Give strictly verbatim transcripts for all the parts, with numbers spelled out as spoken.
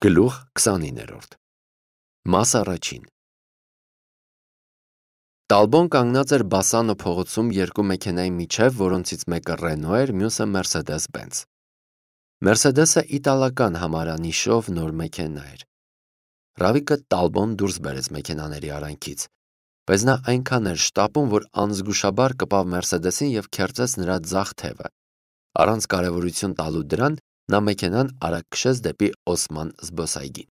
Գլուխ քսանիններորդ Մաս առաջին Տալբոն կանգնած էր Բասանո փողոցում երկու մեքենայի միջև, որոնցից մեկը Ռենո էր, մյուսը Մերսեդես-Բենց։ Մերսեդեսը իտալական համարանիշով նոր մեքենա էր։ Ռավիկը Տալբոն դուրս բերեց մեքենաների արանքից, բայց նա այնքան էր շտապում, որ անզգուշաբար կպավ Մերսեդեսին և քերծեց նրա ձախ թևը։ Առանց կարևորություն տալու դրան, նա մեքենան արագ քշեց դեպի Օսման զբոսայգին։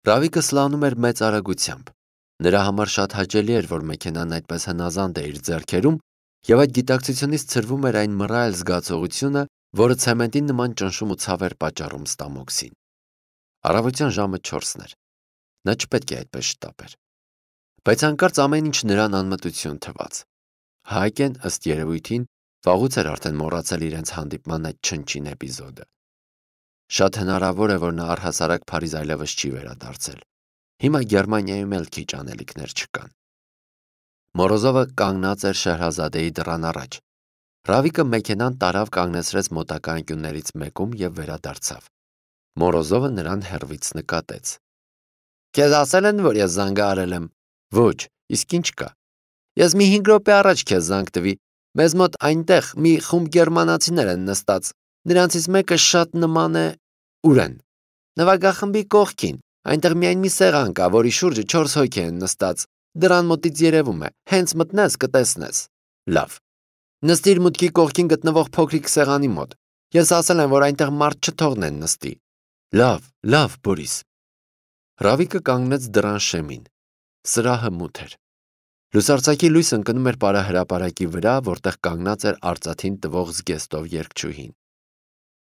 Ռավիկը սլանում էր մեծ արագությամբ։ Նրա համար շատ հաճելի էր, որ մեքենան այդպես հնազանդ է իր ձեռքերում, և այդ գիտակցությունից ցրվում էր այն մռայլ զգացողությունը, որը ցեմենտի նման ճնշում ու ցավ էր պատճառում ստամոքսին։ Առավոտյան ժամը չորսն էր։ Նա չպետք է այդպես շտապեր։ Բայց հանկարծ ամեն ինչ նրան անմտություն թվաց։ Հայկեն, ըստ երևույթին, վաղուց էր արդեն մոռացել իրենց հանդիպման այդ չնչին էպիզոդը։ Շատ հնարավոր է, որ նա առհասարակ Փարիզ այլևս չի վերադարձել։ Հիմա Գերմանիայում էլ քիչ անելիքներ չկան։ Մորոզովը կանգնած էր Շեհրազադեի դռան առաջ։ Ռավիկը մեքենան տարավ կանգնեցրեց մոտակա անկյուններից մեկում և վերադարձավ։ Մորոզովը նրան հեռվից նկատեց։ Քեզ ասել են, որ ես զանգահարել եմ։ Ոչ, իսկ ինչ կա։ Ես մի հինգ րոպե առաջ քեզ զանգ տվի։ Մեզ մոտ այնտեղ մի խումբ գերմանացիներ են նստած։ Նրանցից մեկը շատ նման է… Ուր են։ Նվագախմբի կողքին։ Այնտեղ միայն մի սեղան կա, որի շուրջը չորս հոգի են նստած։ Դռան մոտից երևում է։ Հենց մտնես կտեսնես։ Լավ։ Նստիր մուտքի կողքին գտնվող փոքրիկ սեղանի մոտ։ Ես ասել եմ, որ այնտեղ մարդ չթողնեն նստի։ Լավ, լավ, Բորիս։ Ռավիկը կանգնեց դռան շեմին։ Սրահը մութ էր։ Լուսարձակի լույս ընկնում էր պարահրապարակի վրա, որտեղ կանգնած էր արծաթին տվող զգեստով երգչուհին։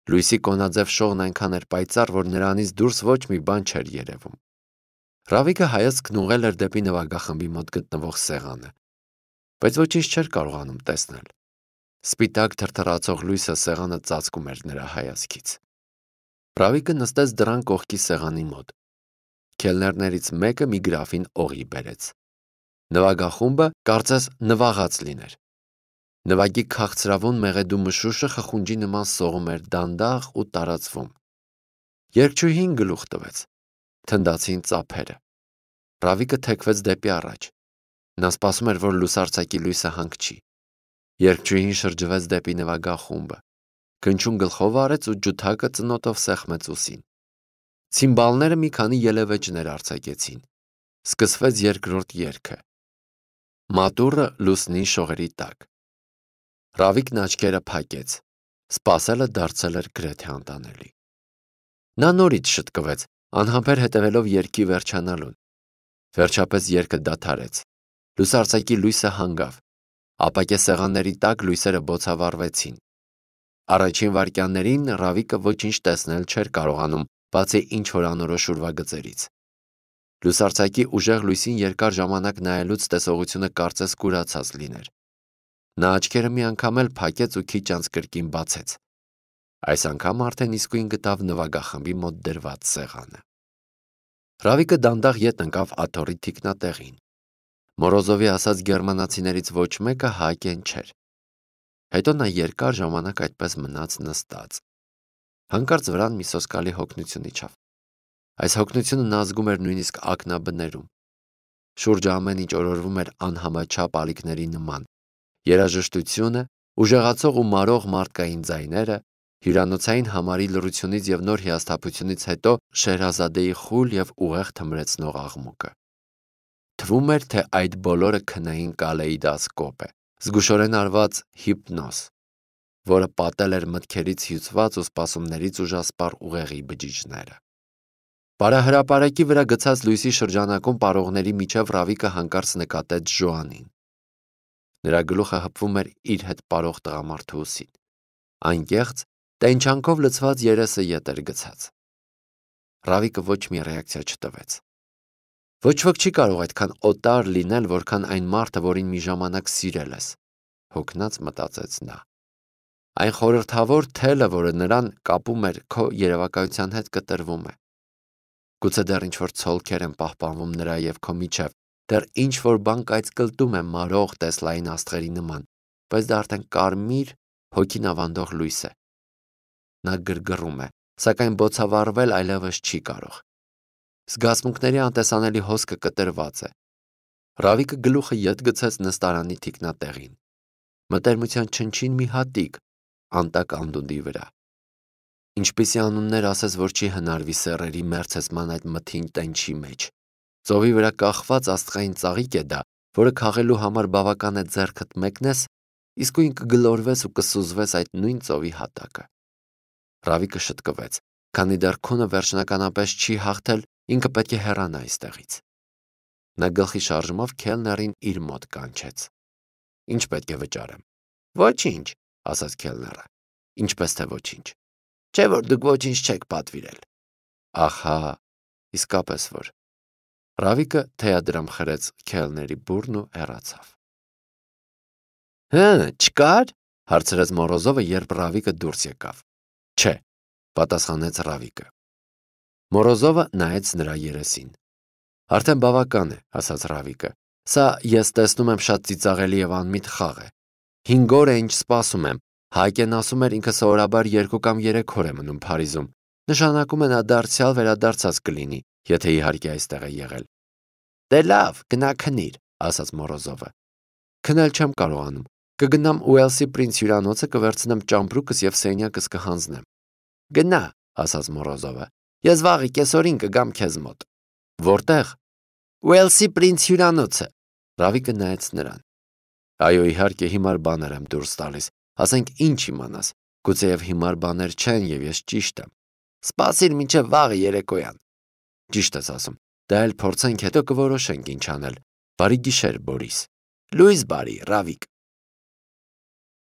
Լույսի կոնաձև շողն այնքան էր պայծառ, որ նրանից դուրս ոչ մի բան չէր երևում։ Ռավիկը հայացքն ուղղել էր դեպի նվագախմբի մոտ գտնվող սեղանը, բայց ոչինչ չէր կարողանում տեսնել։ Սպիտակ թրթռացող լույսը սեղանը ծածկում էր նրա հայացքից։ Ռավիկը նստեց դռան կողքի սեղանի մոտ։ Քելներներից մեկը մի գրաֆին օղի բերեց։ Նվագախումբը կարծես նվաղած լիներ։ Նվագի քաղցրավուն մեղեդու մշուշը խխունջի նման սողում էր դանդաղ ու տարածվում։ Երգչուհին գլուխ տվեց։ Թնդացին ծափերը։ Ռավիկը թեքվեց դեպի առաջ։ Նա սպասում էր, որ լուսարձակի լույսը հանգչի։ Երգչուհին շրջվեց դեպի նվագախումբը։ Քնչուն գլխով արեց ու ջութակը ծնոտով սեղմեց ուսին։ Ցիմբալները մի քանի ելևէջներ արձակեցին։ Սկսվեց երկրորդ երգը։ Մատուռը լուսնի շողերի տակ։ Ռավիկն աչքերը փակեց։ Սպասելը դարձել էր գրեթե անտանելի։ Նա նորից շտկվեց, անհամբեր հետևելով երգի վերջանալուն։ Վերջապես երգը դադարեց։ Լուսարձակի լույսը հանգավ։ Ապակե սեղանների տակ լույսերը բոցավառվեցին։ Առաջին վայրկյաններին Ռավիկը ոչինչ տեսնել չէր կարողանում, բացի ինչ-որ անորոշ ուրվագծերից։ Լուսարձակի ուժեղ լույսին երկար ժամանակ նայելուց տեսողությունը կարծես կուրացած լիներ։ Նա աչքերը մի անգամ էլ փակեց ու քիչ անց կրկին բացեց։ Այս անգամ արդեն իսկույն գտավ նվագախմբի մոտ դրված սեղանը։ Ռավիկը դանդաղ ետ ընկավ աթոռի թիկնատեղին։ Մորոզովի ասած գերմանացիներից ոչ մեկը Հայկեն չէր։ Հետո նա երկար ժամանակ այդպես մնաց նստած։ Հանկարծ վրան մի սոսկալի հոգնություն իջավ։ Այս հոգնությունը նա զգում էր նույնիսկ ակնաբներում։ Շուրջը ամեն ինչ օրորվում էր անհամաչափ ալիքների նման։ Երաժշտությունը, ուժեղացող ու մարող մարդկային ձայները, հյուրանոցային համարի լռությունից և նոր հիասթափությունից հետո Շեհրազադեի խուլ և ուղեղ թմրեցնող աղմուկը։ Թվում էր, թե այդ բոլորը քնային կալեիդոսկոպ է, զգուշորեն արված հիպնոզ, որը պատել էր մտքերից հյուծված ու սպասումներից ուժասպառ ուղեղի բջիջները։ Պարահրապարակի վրա գցած լույսի շրջանակում պարողների միջև Ռավիկը հանկարծ նկատեց Ժոանին։ Նրա գլուխը հպվում էր իր հետ պարող տղամարդու ուսին։ Անկեղծ, տենչանքով լցված երեսը ետ էր գցած։ Ռավիկը ոչ մի ռեակցիա չտվեց։ Ոչ ոք չի կարող այդքան օտար լինել, որքան այն մարդը, որին մի ժամանակ սիրել ես, հոգնած մտածեց նա։ Այն խորհրդավոր թելը, որը նրան կապում էր քո երևակայության հետ, կտրվում է։ Գուցե դեռ ինչ-որ ցոլքեր են պահպանվում նրա և քո միջև, դեռ ինչ-որ բան կայծկլտում է մարող տեսլային աստղերի նման, բայց դա արդեն կարմիր, հոգին ավանդող լույս է։ Նա գրգռում է, սակայն բոցավառվել այլևս չի կարող։ Զգացմունքների անտեսանելի հոսքը կտրված է։ Ռավիկը գլուխը ետ գցեց նստարանի թիկնատեղին։ Մտերմության չնչին մի հատիկ անտակ անդունդի վրա։ Ինչպիսի անուններ ասես, որ չի հնարվի սեռերի մերձեցման այդ մթին տենչի մեջ։ Ծովի վրա կախված աստղային ծաղիկ է դա, որը քաղելու համար բավական է ձեռքդ մեկնես, իսկույն կգլորվես ու կսուզվես այդ նույն ծովի հատակը։ Ռավիկը շտկվեց, քանի դեռ քունը վերջնականապես չի հաղթել, ինքը պետք է հեռանա այստեղից։ Նա գլխի շարժումով քելներին իր մոտ կանչեց։ Ինչ պետք է վճարեմ։ Ոչինչ, ասաց քելները։ Ինչպես թե ոչինչ։ Չէ՞ որ դուք ոչինչ չեք պատվիրել։ Ահա, իսկապես որ։ Ռավիկը թեյադրամ խրեց քելների բուրն ու հեռացավ։ Հը, չկար, հարցրեց Մորոզովը, երբ Ռավիկը դուրս եկավ։ Չէ, պատասխանեց Ռավիկը։ Մորոզովը նայեց նրա երեսին։ Արդեն բավական է, ասաց Ռավիկը։ Սա ես տեսնում եմ շատ ծիծաղելի եւ անմիտ խաղ է։ Հինգ օր է ինչ սպասում եմ։ Հայկեն ասում էր ինքը սովորաբար երկու կամ երեք օր է մնում Փարիզում։ Նշանակում է նա դարձյալ վերադարձած կլինի, եթե իհարկե այստեղ է եղել։ Դե լավ, գնա քնիր, ասաց Մորոզովը։ Քնել չեմ կարողանում։ Կգնամ Ուելսի Պրինց հյուրանոցը, կվերցնեմ ճամպրուկս եւ սենյակս կհանձնեմ։ Գնա, ասաց Մորոզովը։ Ես վաղը կեսօրին կգամ քեզ մոտ։ Որտեղ։ Ուելսի Պրինց հյուրանոցը։ Ռավիկը նայեց նրան։ Այո, իհարկե, հիմար բաներ եմ դուրս տալիս։ Ասենք ինչ իմանաս։ Գուցեև հիմար բաներ չեն եւ ես ճիշտ եմ։ Սպասիր մինչև վաղը երեկոյան։ Ճիշտ ես ասում։ Դա էլ փորձենք, հետո կորոշենք ինչ անել։ Բարի գիշեր, Բորիս։ Լույս բարի, Ռավիկ։